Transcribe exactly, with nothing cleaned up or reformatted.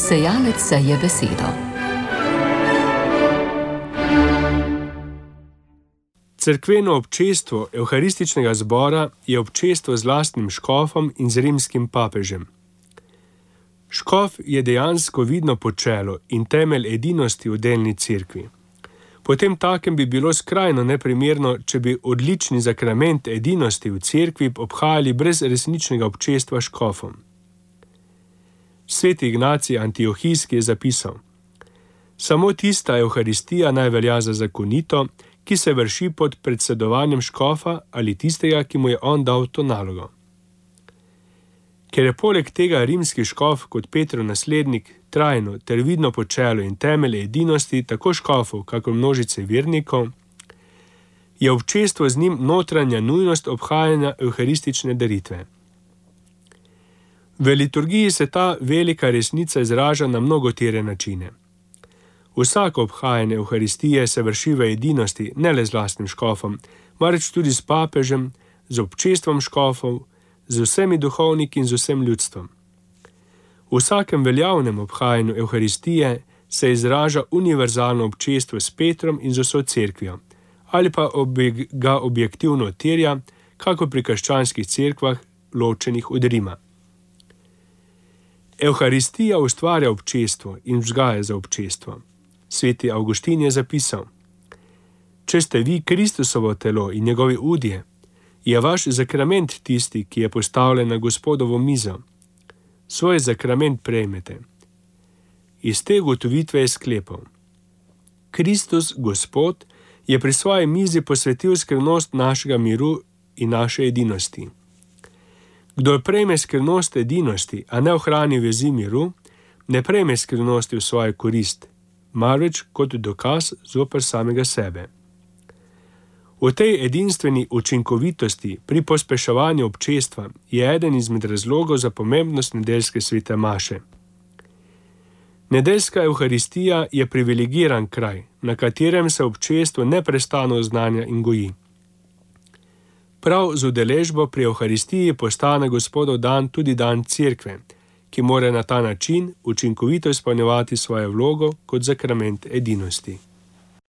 Sejalec seje besedo. Cerkveno občestvo evharističnega zbora je občestvo z lastnim škofom in z rimskim papežem. Škof je dejansko vidno počelo in temelj edinosti v delni cerkvi. Potem takem bi bilo skrajno neprimerno, če bi odlični zakrament edinosti v cerkvi obhajali brez resničnega občestva s škofom. Sveti Ignacij Antiohijski je zapisal: samo tista evharistija naj velja za zakonito, ki se vrši pod predsedovanjem škofa ali tistega, ki mu je on dal to nalogo. Ker je poleg tega rimski škof kot Petrov naslednik trajno ter vidno počelo in temelj edinosti tako škofov, kakor množice vernikov, je občestvo z njim notranja nujnost obhajanja evharistične daritve. V liturgiji se ta velika resnica izraža na mnogotere načine. Vsako obhajanje evharistije se vrši v edinosti ne le z lastnim škofom, marveč tudi s papežem, z občestvom škofov, z vsemi duhovniki in z vsem ljudstvom. V vsakem veljavnem obhajanju evharistije se izraža univerzalno občestvo s Petrom in z vso cerkvijo, ali pa objek, ga objektivno terja, kako pri krščanskih cerkvah, ločenih od Rima. Evharistija ustvarja občestvo in vzgaja za občestvo. Sveti Avguštin je zapisal: če ste vi Kristusovo telo in njegovi udje, je vaš zakrament tisti, ki je postavljen na Gospodovo mizo. Svoj zakrament prejmete. Iz te ugotovitve je sklepal: Kristus, Gospod, je pri svoji mizi posvetil skrivnost našega miru in naše edinosti. Kdor prejme skrivnost edinosti, a ne ohrani vezi miru, ne prejme skrivnosti v svojo korist, marveč kot dokaz zoper samega sebe. V tej edinstveni učinkovitosti pri pospeševanju občestva je eden izmed razlogov za pomembnost nedeljske svete maše. Nedeljska evharistija je privilegiran kraj, na katerem se občestvo neprestano oznanja in goji. Prav z udeležbo pri evharistiji postane Gospodov dan tudi dan cerkve, ki mora na ta način učinkovito izpolnjevati svojo vlogo kot zakrament edinosti.